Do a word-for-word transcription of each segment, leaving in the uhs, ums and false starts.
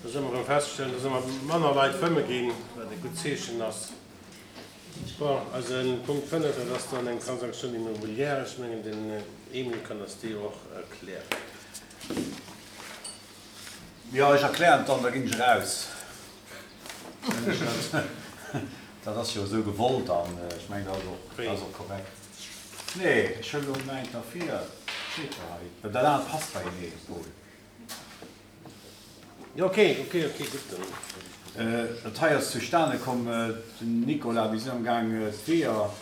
Da solle mer erëm feststellen, dass ëmmer manner Leit fëmme ginn, wat e gutt Zeechen ass. Bon, eise Punkt fënnef, dat ass dann eng Transaction immobilière. Ech mengen, den Emile kann eis déi och erklären. Jo, ech erklären et dann, da ginn ech eraus. Dat ass jo esou gewollt an ech mengen, dat ass och, dat ass och korrekt. Nee, ech huelen elo mäint derfir, steet jo hei, well dat anert passt beienee, Paul. Jo, ok, ok, ok, gutt, dann. Dat hei ass zustane komm, den Nicolas, mir sinn amgaang d'Weeër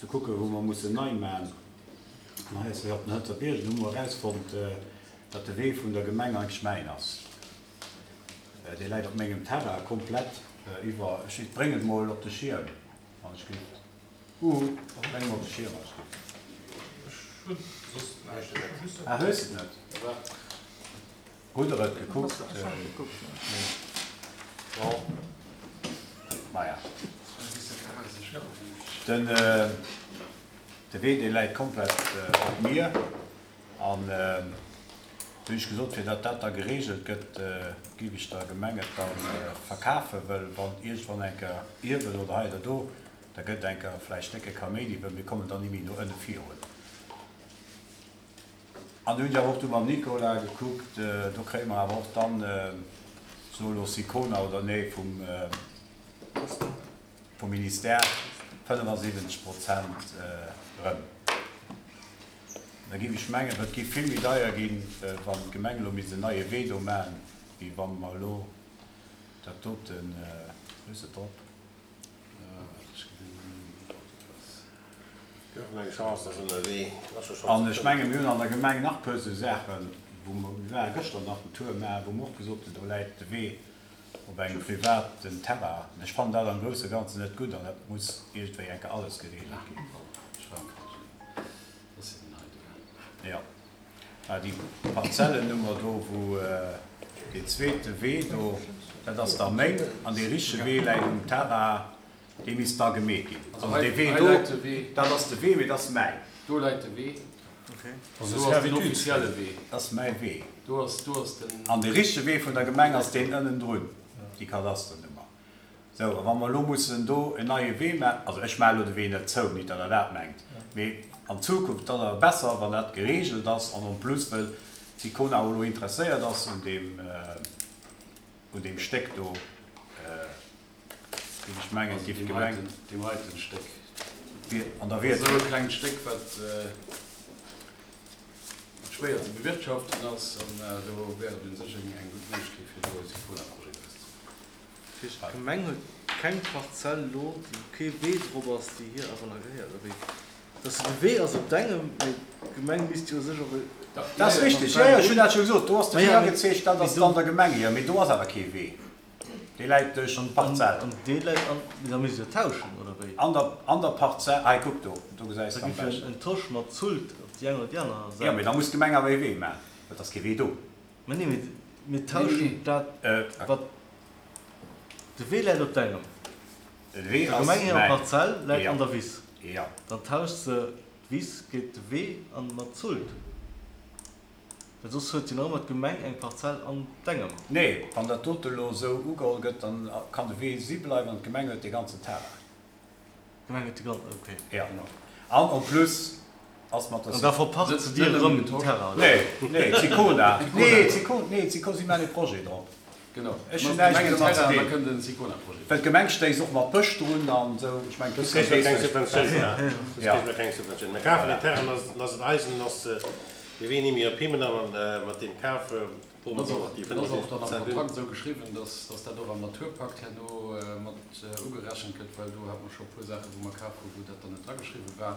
ze kucken, wou mer mussen nei man. An hei ass jo op den Hënzer Bierg, an hu mer erausfonnt, datt de Wee vun der Gemeng eigentlech mäin ass. Dee läit op mengem Terrain komplett iwwer. Ech bréngen et mol op de Schierm, wann ech giff. Uhu, bréng mol op de Schierm, wann ech giff. Ech hunn soss näischt. Ah, hues de et net? Hutt der et gekuckt? Maja. Den de Wee dee läit komplett op mir an du hunn ech gesot, fir datt dat da gereegelt gëtt, giff ech der Gemeng et da verkafen, wëll wann iergendwann eng Kéier Ierwen oder hei oder do, da gëtt eng Kéier vläicht décke Kaméidi, wëll mir kommen dann ni méi no ënne virun. An hunn ech awer och du mam Nicolas gekuckt, do kréie mer awer och dann, so elo Sicona oder nee, vum vum Ministère fënnefasiwwenzeg Prozent erëm. Da géif ech mengen, well et géif vill méi deier ginn, wann d'Gemeng elo misst en neie Wee do maachen, wéi wa mer elo dat doten, hues de drop? An ech menge mir hunn an der Gemeng nach e puer esou Saachen, wou mer, mir ware gëschter nach den Tour maachen, wou mer och gesot hunn, do läit de Wee op engem privaten Terrain. Ech fannen dat am grousse Ganzen net gutt an dat muss iergendwéi eng Kéier alles geregelt ginn. Jo, mä déi Parzellennummer do, wou deen zweete Wee do, dat ass da meng, an dee richtege Wee läit um Terrain. Dee misst da gemeet ginn. Also dee Wee do, dat ass de Wee, mee dat ass mäin. Do läit de Wee. Do ass den offizielle Wee. Dat ass mäi Wee. An de richtege Wee vun der Gemeng ass deen ënnendrun, déi Kadasternummer. Sou, a wa mer elo mussen do en neie Wee maachen, also ech maache elo de Wee net zou, nit datt Der dat mengt, mee an Zukunft, dat ass awer besser, wann dat geregelt ass an en plus, well d'Sicona och elo interesséiert ass un deem, un deem Stéck do. Géif ech mengen, Also géif deem d'Gemeng. heiten, deem heiten Stéck. An da wier Et et. ass esou e klengt Stéck, wat schwéier ze bewirtschaften ass, an do wär et u sech eng eng gutt Méiglechkeet, fir do e Sicona-Projet draus ze maachen. Dat heescht, d'Gemeng huet keng Parzell elo, wou kee Wee drop ass, déi hir awer nach gehéiert, oder wéi? Dass de Wee ass op dengem, mee d'Gemeng misst jo u sech och e. Dat ass richtig, jo, jo, ech hunn dat scho gesot. Do ass de Wee agezeechent, dat ass dann der Gemeng hir, mee do ass awer kee Wee. Dee läit duerch d'Parzell. An dee läit an, mee da misst jo tauschen, oder wéi? An der, an der Parzell, hei kuck do, do gesäis de Da am giff jo beschten. en Tosch mat Zult op déi eng oder déi aner Jo, mee Säit. da muss d'Gemeng awer ee Wee maachen, well et ass kee Wee do. Mä nee, mee mir tauschen dat, wat, de Wee läit op dengem. De Wee Der ass Gemeng hirer mäin. Parzell läit Jo. an der Wiss. Jo. Dann tauscht se d'Wiss géint de Wee an mat Zult. Well soss huet jo nach ëmmer d'Gemeng eng Parzell an dengem. Nee, wann dat dote elo esou ugeholl gëtt, dann kann de Wee si bleiwen an d'Gemeng huet dee ganzen Terrain. D'Gemeng huet de ganzen, ok. Jo. An en plus ass mat der. An da verpacht se dir erëm den Terrain, oder? Nee, nee, d'Sicona. Nee, d'Sicona, nee, d'Sicona, si maachen ee Projet drop. Genau. Ech hunn näischt méi domat ze Da dinn. kënnt en Sicona-Projet. Well d'Gemeng stéisst och mat Bësch drun an esou. Ech mengen, Soss d'Gemeng kréie mer keng weess Subventioun. Soss Ja. kréie mer keng Subventioun. Mir kafen den Terrain, dann ass et eisen, dann ass Mir wéini mir op Himmen an mat deem kafe Dat ass och dat ass och dann am Kontrakt esou geschriwwen, dass dass dat och am Naturpakt herno mat ugerechent gëtt, well do hate mer scho e puer Saachen, wou mer kaf hu wou dat dann net drageschriwwen war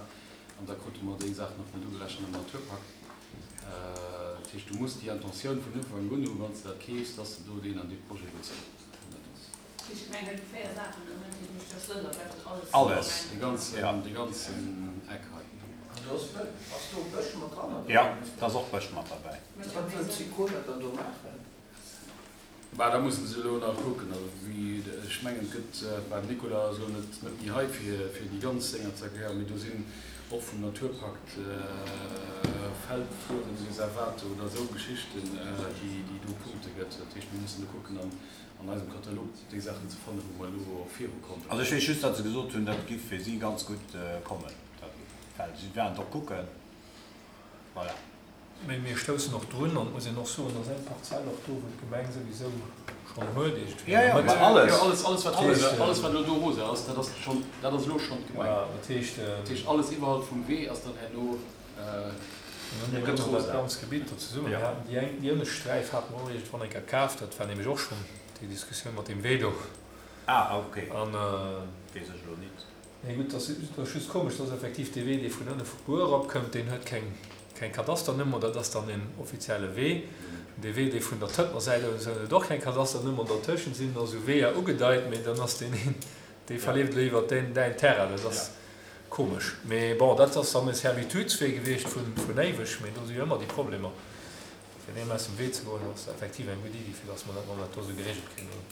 an da krute mer déi Saachen och net ugerechent am Naturpakt. Dat heescht, du muss déi Intentioun vun Ufank un hu wann s de dat keefs, dass de do deen an dee Projet wëlls Alles. Dee ganzen, dee ganzen Eck hei. An do ass Bësch, ass do Bësch mat dran oder Jo, wéi? da ass och Bësch mat derbäi. Wat wëllt d'Sicona dann do maachen? Bah, da musse se elo nach kucken. Also wéi, ech mengen, et gëtt, bah, den Nicolas ass elo net, net méi hei fir, fir déi ganz Dénger ze erklären, mee do sinn Och vum Naturpakt, Feldflurenreservate oder esou Geschichten, déi do Punkte gëtt. Dat heescht, mir mussen do kucken, an eisem Katalog déi Saachen ze fannen, wou mer elo och virukommen. Also ech weess just, datt se gesot hunn, dat giff fir si ganz gutt kommen, dat Feld. Si waren et och kucken. Voilà. Mee mir stoussen och drun, an et muss een och soen, dass eng Parzell och do, wou d'Gemeng souwisou schonn huet, iergendwéi an der Mëtt. Alles. Jo, alles, alles, wat rosa, alles, wat elo do rosa ass, dat ass schonn, dat ass elo schonn d'Gemeng. Voilà, dat heescht. Dat heescht, alles iwwerhalb vum Wee ass dann herno, Mir gëtt hunn dat rosa. ganz Gebitt do zesummen. Mir haten déi eng, déi ënnescht Sträif hate mer och iergendwann eng Kéier kaf, dat war nämlech och schonn déi Diskussioun mat deem Wee do. Ah, okay. An. Weess ech elo nit. Nee, gutt, dat ass just komesch, dass effektiv dee Wee, dee vun ënne vu Buer eropkëmmt, deen huet keng, keng Kadasternummer, dat ass dann en offizielle Wee. Dee Wee, dee vun der Tëntner Säit aus huet och keng Kadasternummer. Dertëschent sinn da sou Weeër ugedeit, mee dann ass deen een, dee verleeft elo iwwer deen, däin Terrain. Dat ass komesch. Mee bon, dat ass dann e Servitudswee gewiescht vun, vun éiweg, mee do si jo ëmmer déi Problemer. Fir deem aus dem Wee ze goen, ass effektiv eng gutt Iddi, fir dass mer dat mat dat do sou geregelt kréien.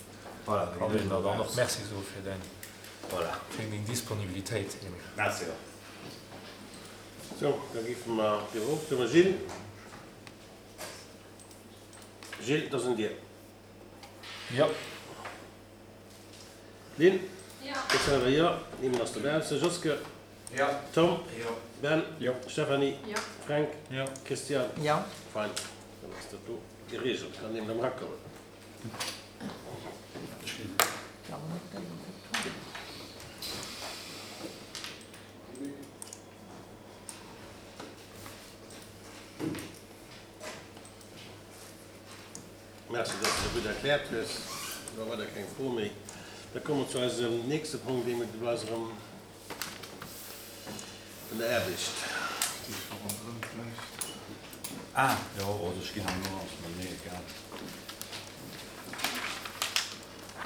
Voilà, da Kann ginn ech een der elo dann och raus. Merci soe fir däin, Voilà. fir deng Disponibilitéit, Emile. Merci och. Sou, da géife mer viru ofstëmmen. Gilles? Gilles, et ass un dir. Jo. Lynn? Jo. Christiane, jo. Emile ass dobaussen. Joske? Jo. Tom? Jo. Ben? Jo. Stéphanie? Jo. Fränk? Jo. Christiane? Jo. Fein, dann ass dat do geregelt. Kann een erëm erakommen. Merci, dass de dat gutt erkläert hues. Elo weider keng Fro méi. Da komme mer zu eisem nächste Punkt, dee mir dobäi erëm vun der Aarbecht. Ah, jo, oder ech ginn herno, ass mer mir egal.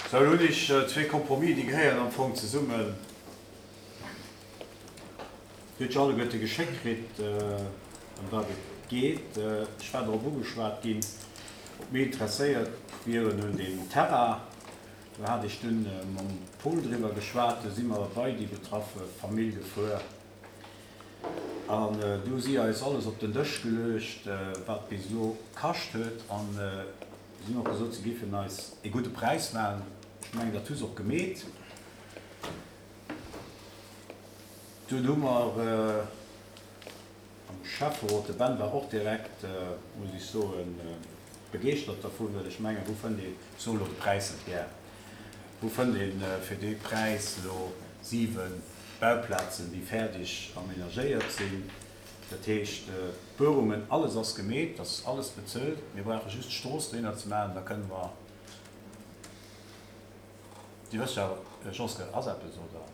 Sou, elo hunn ech zwee Compromis, déi gehéieren am Fong zesummen. Dir hutt jo alleguerte geschéckt kritt, ëm wat et geet. Ech war drop ugeschwat ginn, ob mir interesséiert wieren un deem Terrain. Do hat ech dunn mam Paul driwwer geschwat, du si mer bei déi betraffe Famill gefuer an du hu si eis alles op den Dësch geluecht, wat bis elo kascht huet. An si hunn och gesot, si géifen eis ee gudde Präis maachen. Ech mengen, dat hu se och gemeet. Dunn hu mer am Schäfferot, de Ben war och direkt, muss ech soen, begeeschtert dervun, well ech mengen, wou fënnt een, ech soen elo de Präis net gär, wou fënnt een fir dee Präis elo siwe Bauplazen, déi fäerdeg aménagéiert sinn? Dat heescht, d'Buerungen, alles ass gemeet, dat ass alles bezuelt, mir brauche just d'Strooss dohinner ze maachen, da kënne mer, Dir wësst jo, Josquin, ass eppes, oder?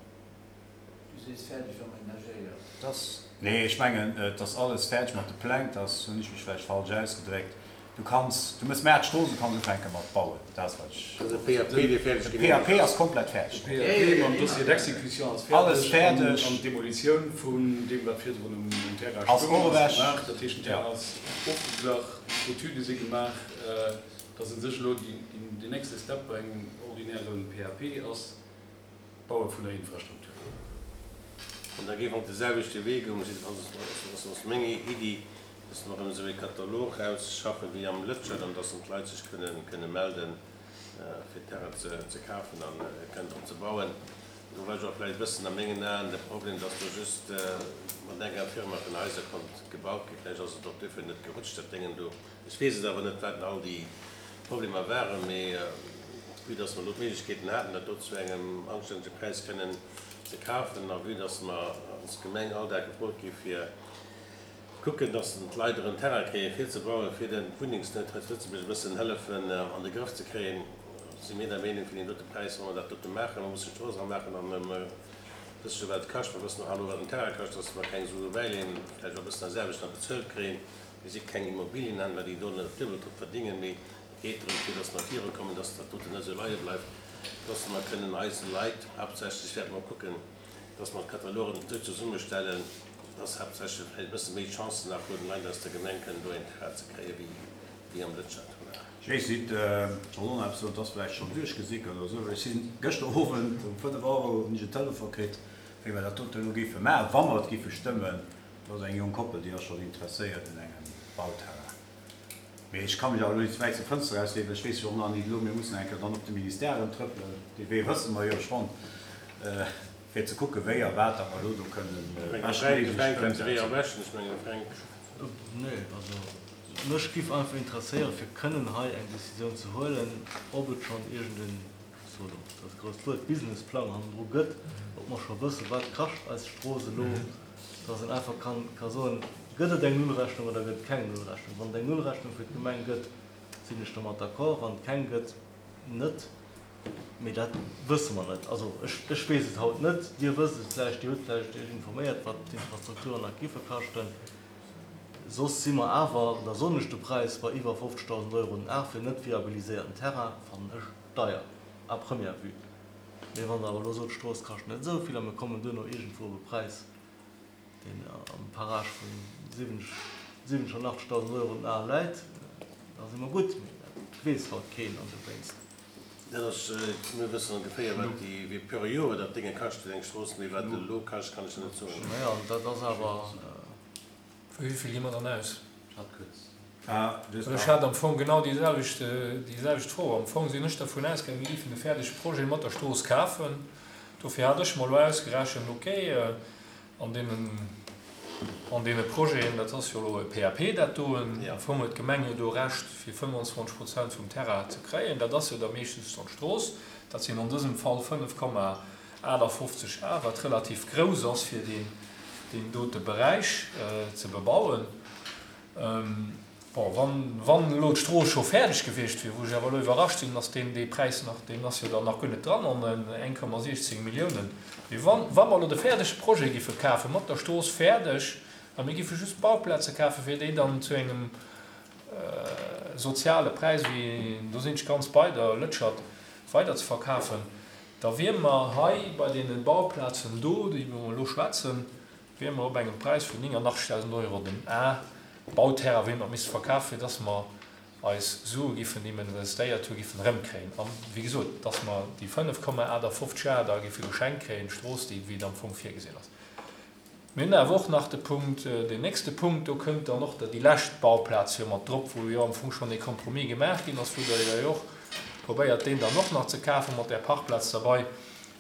Du sees fäerdeg aménagéiert. Dass, nee, ech mengen, et ass alles fäerdeg mat de Pläng, dass hunn ech mech vläicht falsch ausgedréckt. Du kanns, du mëss mä d'Strooss, du kanns ufänke mat bauen. Dat ass wat ech. Also de P A P, dee fäerdeg De P A P ass komplett fäerdeg. De P A P mam Dossier d'exécution ass fäerdeg. Alles fäerdeg. An d'Demolitioun vun deem, wat virdrun um Terrain Ass stoung, och ass ewech. gemaach. Dat heescht, den Terrain ass ofgeglach, d'Etüde si gemaach. Dass u sech elo deen nächste Step bei engem ordinäre P A P ass, d'Baue vun der Infrastruktur. An da géif och de selwechte Wee goen, jiddefalls ass meng Iddi, dass mer erëm esou ee Katalog rausschaffen wéi am Lëtschert, an dass dann d'Leit sech kënne melden, fir Terrain ze kafen a kënnen drop ze bauen. Do war jo och vläicht e bëssen a mengen Aen de Problem, dass do just mat enger Firma vun Haiser konnt gebaut ginn. Vläicht ass et och duerfir net gerutscht, dat Déngen do. Ech weess et awer net, wat all déi Problemer waren, mee vue dass mer elo d'Méiglechkeeten haten, dat do zu engem anstännege Präis kënnen ze kafen, a vue dass mer als Gemeng all Dag gefrot gi fir kucken, dass d'Leit erëm Terrain kréien, fir ze bauen, fir den Wunnengsnout hei zu Lëtzebuerg e bëssen hëllefen an de Grëff ze kréien, si mir der Meenung, fir deen dote Präis, wa mer dat dote maachen, mer mussen d'Strooss eramaachen an mer wësse jo, wat et kascht, mer wëssen och elo, wat den Terrain kascht, dass mer keng Sue bäileeën, vläicht och e bëssen eis Aarbecht nach bezuelt kréien. Mir si keng Immobilienhändler, déi do net duebel drop verdingen, mee et geet drëm, fir dass mer virukommen, dass dat doten net esou leie bleift, dass mer kënnen eise Leit, haaptsächlech wäerte mer kucken, dass mer d'Katalogen esou zesummestellen, dass haaptsächlech vläicht e bësse méi Chancen nach hunn, Leit aus der Gemeng kënnen do een Terrain ze kréien, wéi wéi am Lëtschert. Voilà. Ech weess nit, ech wollt och nach eppes soen, et ass vläicht schonn duerchgesickert oder esou, ech sinn gëschter Owend um fënnef Auer hunn ech en Telefon kritt, Wéi mer dat dote elo géife maachen, wa mer et géife stëmmen, do ass eng jonk Koppel, déi ass schonn interesséiert un engem Bauterrain. Mee ech ka mech awer elo net ze wäit zum Fënster erauslehnen, well ech weess jo och nach nit elo, mir mussen eng Kéier dann op de Ministère erëm trëppelen, dee Wee wësse mer jo schonn, fir ze kucken, wéi a wat datt mer elo do kënnen beschtméiglech ëmsetzen. Nee, also mech giff einfach interesséieren, fir kënnen hei eng Décisioun ze huelen, ob et schonn iergend en, ech soen elo dat grousst Wuert, Businessplang hannendru gëtt, ob mer scho wëssen, wat kascht eis Strooss elo, dass een einfach kann ka soen, gëtt et eng Nullrechnung oder gëtt et keng Nullrechnung. Wann et eng Nullrechnung fir d'Gemeng gëtt, sinn ech domat d'accord, wann et keng gëtt, net. Mee dat wësse mer net. Also ech, ech weess et haut net. Dir wësst et vläicht, Dir hutt vläicht Iech informéiert, wat d'Infrastrukturen nach giffe kaschten. Soss si mer awer, da soen ech de Präis bei iwwer fofzegdausend Euro den Ar fir net viabiliséierten Terrain, fannen ech deier à première vue. Mee wann Der awer elo sot, d'Strooss kascht net esou vill a mir kommen duerno iergendwou op e Präis, deen am Parage vu siwwenzeg an achtzegdausend Euro den Ar läit, da si mer gutt. Mee dat weess haut keen an dowéinst. Dat ass, mir wëssen ongeféier, wat déi, wéi per Joer dat Dénge kascht, eng Strooss, mee wat et elo kascht, kann ech der net soen. Naja, an dat ass awer. Vu wéi vill gi mer dann aus? Hat kuerz. Ah, just Ech hat am Fong genau déi selwecht, déi selwecht Fro. Am Fong sinn ech dervun ausgaangen, mir géifen de fäerdege Projet mat der Strooss kafen. Dofir hat ech mer elo ausgerechent, okay, an deenen, an deene Projeten, dat ass jo elo e P A P dat doen, am Fong huet d'Gemeng jo do Recht fir fëmmenundzwanzeg Prozent vum Terrain ze kréien, dat ass jo da meeschtens dann d'Strooss, dat sinn an dësem Fall fënnef Komma aachtafofzeg Ar, wat relativ grouss ass fir deen, deen dote Beräich ze bebauen. Bon, wann, wann elo d'Strooss scho fäerdeg gewiescht wier, wou ech awer elo iwwerrascht sinn, dass deen, dee Präis nach, deen ass jo dann nach guer net dran an den eng Komma siechzéng Milliounen. Mee wann, wa mer elo de fäerdege Projet giffe kafen, mat der Strooss fäerdeg, a mir giffe just Bauplaze kafen, fir déi dann zu engem soziale Präis, wéi, do sinn ech ganz bei der Lëtschert, weiderzeverkafen, da wier mer hei bei deene Bauplazen do, déi mer elo schwätzen, wier mer op engem Präis vun néngannachtzegdausend Euro den A Bauterrain, wéi mer misste verkafen, fir dass mer eis Sue giffen, déi mer investéiert hu, giffen erëmkréien. An, wéi gesot, dass mer déi fënnef Komma aachtafofzeg A da giffe geschenkt kréien, d'Strooss, déi wéi et am Fong virgesinn ass. Mir hunn awer och nach de Punkt, deen nächste Punkt, do kënnt dann och déi lescht Bauplaz jo mat drop, wou jo am Fong schonn ee Compromis gemaach ginn ass, wou Der jo och probéiert, deen dann och nach ze kafen, mat där Parkplaz derbei.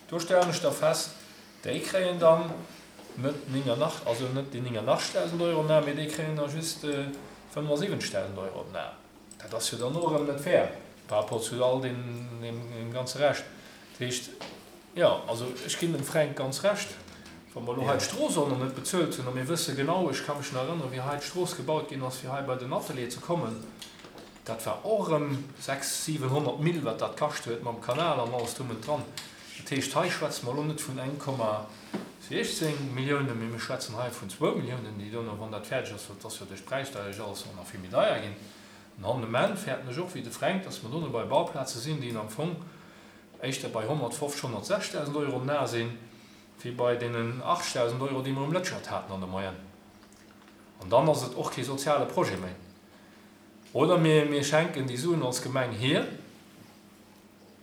Do stellen ech da fest, déi kréien dann net néngannach-, also net déi néngannachtzegdausend Euro den Ar, mee déi kréien da just fënnefasiwwenzegdausend Euro den Ar. Dat ass jo dann och erëm net fair par rapport zu all deem, deem, deem ganze Rescht. Dat heescht, jo, also ech ginn dem Fränk ganz Recht, wa mer elo hei d'Strooss och nach net bezuelt hunn, a mir wësse genau, ech ka mech nach erënneren, wéi hei d'Strooss gebaut ginn ass, fir hei bei den Atelier ze kommen, dat war och erëm sechs-, siwenhonnert Mille, wat dat kascht huet mam Kanal an alles drum und dran. Dat heescht, hei schwätze mer elo net vun eng Komma siechzéng Milliounen, mee mir schwätzen hei vun zwou Milliounen, déi dono, wann dat fäerdeg ass, well et ass jo duerch d'Präissteierung alles och nach vill méi deier ginn. An an dem Enn fäerten ech och wéi de Fränk, dass mer dono bei Bauplaze sinn, déi am Fong éischter bei honnertfofzeg, honnertsechzegdausend Euro nah sinn, wéi bei deenen achtzegdausend Euro, déi mer um Lëtschert haten an der Moyenne. An dann ass et och kee soziale Projet méi. Oder mir, mir schenken déi Suen als Gemeng hier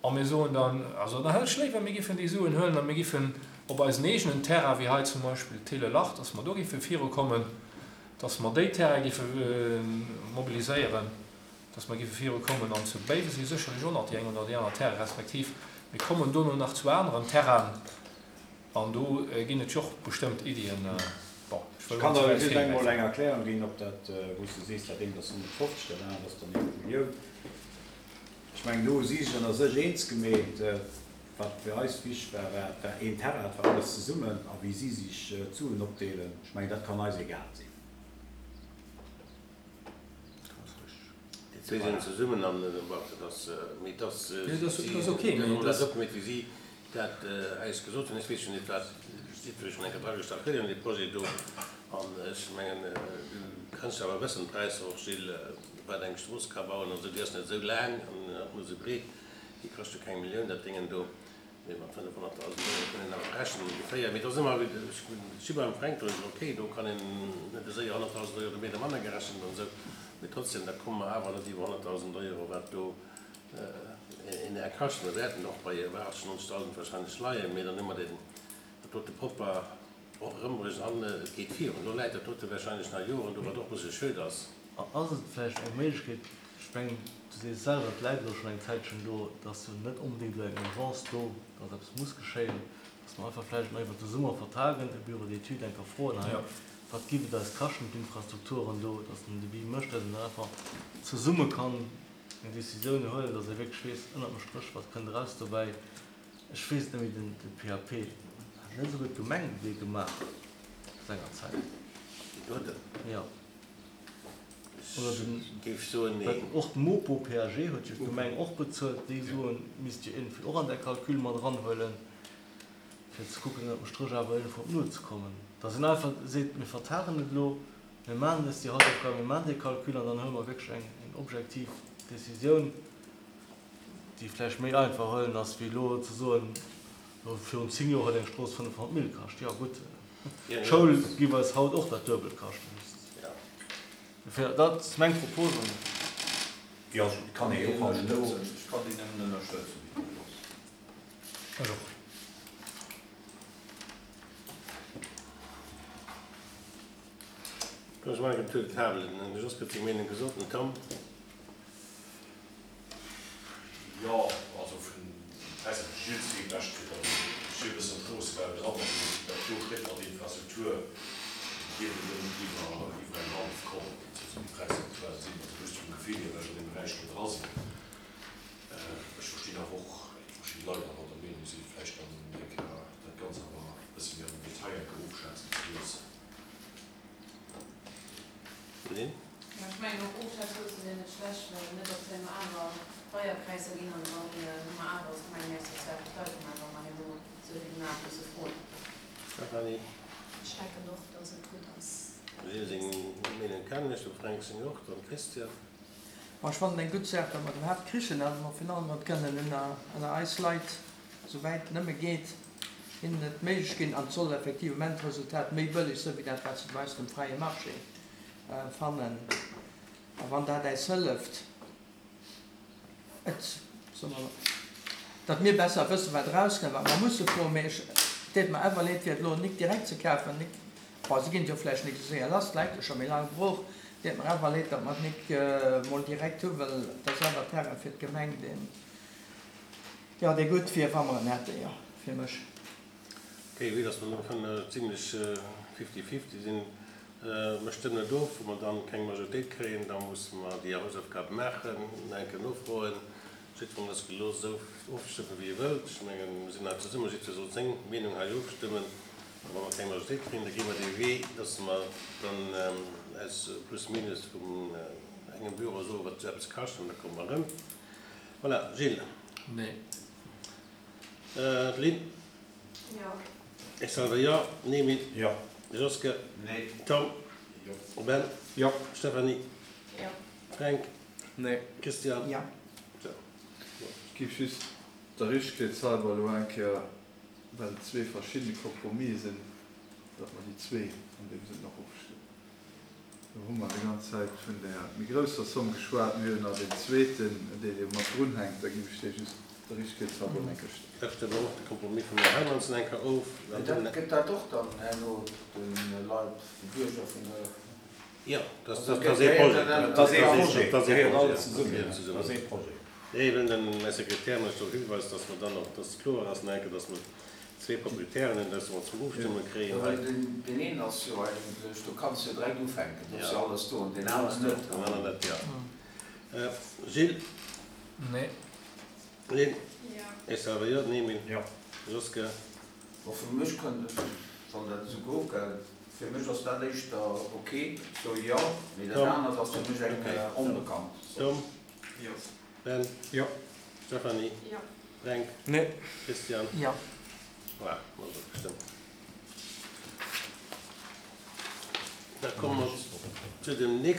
a mir soen dann, also dann hätt ech léiwer, mir giffen déi Suen huelen a mir giffen op eisen eegenen Terrain, wéi hei zum Beispill Télé-Lach, dass mer do giffe virukommen, dass mer déi Terrain giffe mobiliséieren, dass mer giffe virukommen an zu Béiwe si sécherlech och nach déi eng oder déi aner Terrain, respektiv mir kommen dono nach zu aneren Terrainen an do ginn et jo och bestëmmt Iddien. Bon, ech wëll Ech kann net ze der wäit just eng mol virgräifen. eng Erklärung ginn op dat, wou s du sees, dat eent ass honnertfofzeg, dat anert ass dann eng Millioun. Ech mengen, do hu si sech ënner sech eens gemeet. Wat fir eis wichteg war, war, et war een Terrain, et war alles zesummen a wéi si sech d'Suen opdeelen, ech mengen, dat kann eis egal sinn. Déi zwee sinn zesummen an dat ass, mee dat ass, Nee, dat ass, si dat ass okay, mee hunn dat dat opgemeet, wéi si dat eis gesot hunn. Ech weess jo net, wat si wëll schonn eng Kéier dragestach kréien, dee Projet do. An ech mengen, du kanns jo awer wëssen, d'Präisser och, Gilles, wat eng Strooss ka bauen an esou, déi ass net esou laang an och net esou breet, déi kascht jo keng Millioun, dat Déngen do. Mee mat fënnefhonnertdausend Euro kann een awer rechnen ongeféier. Mee et ass ëmmer, ech si beim Fränk, do ass et okay, do kann een net esou honnertdausend Euro méi oder manner gerechent an esou. Mee trotzdem, da komme mer awer net iwwer honnertdausend Euro, wat do een Är kascht. Mir wäerten och bei iwwer achtzeg, nonzegdausend wahrscheinlech leien, mee dann hu mer den, dat dote propper och erëmbréngen an et geet virun. Elo läit dat dote warscheinlech nach Joren do, wat och e bësse schued ass. Ass et vläicht eng Méiglechkeet, ech mengen, du sees selwer, et läit elo schonn eng Zäitchen do, et ass jo net onbedéngt elo eng Urgence do, datt eppes muss geschéien, datt mer einfach vläicht nach iwwert de Summer vertagen, e Bureau d'études eng Kéier froen hei, wat giff et eis kaschten, d'Infrastrukturen do, datt en Devis mécht, datt een dann einfach zesumme kann eng Décisioun huelen, datt ee wierklech weess, ënnert dem Stréch, wat kënnt eraus dobäi. Ech weess et net méi, den de P A P hat net esouguer d'Gemeng dee gemaach sengerzäit? Deen doten? Jo. Oder den, Ech géif soen, well neen. och d'Mopo P A G huet jo d'Gemeng och bezuelt. Déi Suen misst jo iergendwéi och an där Calcul mat eranhuelen, fir ze kucken, ënnert dem Stréch awer iergendwou op Null ze kommen. Datt een einfach seet, mir vertagen et elo, mir maachen eis déi Hausaufgaben, mir maachen dee Calcul an dann huele mer wierklech eng eng objektiv Décisioun, déi vläicht méi einfach huelen ass, wéi elo ze soen, elo virun zéng Joer huet eng Strooss fënnefhonnert Mille kascht. Jo gutt, d'Schoul géif eis haut och dat Duebelt kaschten. Dofir, dat ass meng Propose. Jo, et kann ee jo och elo. Ech kann déi nëmmen ënnerstëtzen, déi Propos. Ech och. Ech mengen, tour de table, den Jos huet seng Meenung gesot, den Tom. Jo, also vun Präisser huet Gilles wéi Recht kritt. Also ech si e bëssen am Stroossebau dran, also dat do kritt mat Infrastruktur, dierf et elo net iwwer iwwer eng hallef kommen, esou wéi d'Präisser aktuell sinn. Also just vum Gefill hier, well ech an deem Beräich do dra sinn. Ech verstinn awer och verschidde Leit awer der Meenung sinn, vläicht dann eng Kéier dat Ganzt awer e bësse méi am Detail eng Kéier ofschätzen ze loossen. Lynn? Jo, ech mengen och ofschätze loosse wier net schlecht, well net datt herno awer deier Präisser ginn an dann hu mer awer als Gemeng näischt sozial fir d'Leit gemaach, wa mer herno esou vill gemaach musse froen. Stéphanie? Ech denken och, datt et gutt ass. Gilles seng Meenung kennen ech, dem Fränk seng och, dann Christian. Bon, ech fannen eng gutt Saach, datt mer et iwwerhaapt krichen an mer virun allem et kënnen ënner ënner eis Leit, esouwäit et nëmme geet, hinnen et méiglech ginn an et soll effectivement d'Resultat méi bëlleg sinn, wéi dat wat se dobaussen um fräie Marché fannen. A wann dat äis hëlleft, et, soe mer, datt mir besser wëssen, wat erauskënnt, wat mer musse froen, mee ech, et deet mer awer leed, fir et elo nik direkt ze kafen, nik, bon, se ginn et jo vläicht nik esou séier lass, et läit jo scho méi laang brooch, et deet mer awer leed, datt mer et nik emol direkt hu, well et ass awer Terrain fir d'Gemeng, deen, jo, dee gutt wier, wa mer en hätten, jo, fir mech. Ok, vue dass mer elo schonn zimlech fifty-fifty sinn, mer stëmmen et of. Wa mer dann keng Majoritéit kréien, da musse mer déi Hausaufgabe maachen, nach eng Kéier nofroen. Jiddwereen ass gelooss, esou ofzestëmmen, wéi e wëllt. Ech mengen, mer sinn hei zesummen, jiddwer soll seng Meenung hei ofstëmmen. A wa mer keng Majoritéit kréien, da gi mer dee Wee, dass mer dann eis plus minus vun engem Büro soen, wat esou eppes kascht, an da komme mer erëm. Voilà, Gilles. Nee. Lynn. Jo. Ech selwer jo. Nemi. Jo. Joske. Nee. Tom. Jo. Ben. Jo. Stéphanie. Jo. Fränk. Nee. Christian. Jo. Sou. Ech géif just der Richtegkeetshalber elo eng Kéier, well et zwee verschidde Kompromisse sinn, datt mer déi zwee an deem Sënn och ofstëmmen. Do hu mer déi ganz Zäit vun där méi grousser Somm geschwat. Mir hunn nach deen zweeten, deen do mat drunhänkt. Da géif ech dee just der Richtegkeetshalber eng Kéier stëmmen. Da stëmme mer och de Kompromiss vum Här Hermansen eng Kéier of. Mä dat gëtt dat och dann herno de Leit, de Bierger vun der. Jo, dat ass ee Projet. Dat ass ee Projet. Dat ass ee Gehéiert Projet. alles zesummen. Dat ass ee Projet. Nee, well den Här Sekretär mech drop hiweist, dass mer dann och, dass kloer ass, nach eng Kéier, dass mer zwee Proprietären hunn, dass mer zum Ofstëmme kréien hei. Well deen een ass jo eigentlech, do kanns de jo direkt ufänken, do ass jo alles do, an deen aneren net. Deen aneren net, jo. Gilles? Nee. Lynn? Jo. Ech selwer jo. Nemi? Jo. Joske? Bon, fir mech kënnt et, wann dat esou gouf, fir mech ass dat éischter ok, sou jo, mee dat Tom? anert ass fir mech eng onbekannt Somm. Tom? Jo. Ben? Jo. Stéphanie? Jo. Fränk? Nee. Christian? Jo. Voilà, mer ass ofgestëmmt. Da komme mer zu dem nächsten.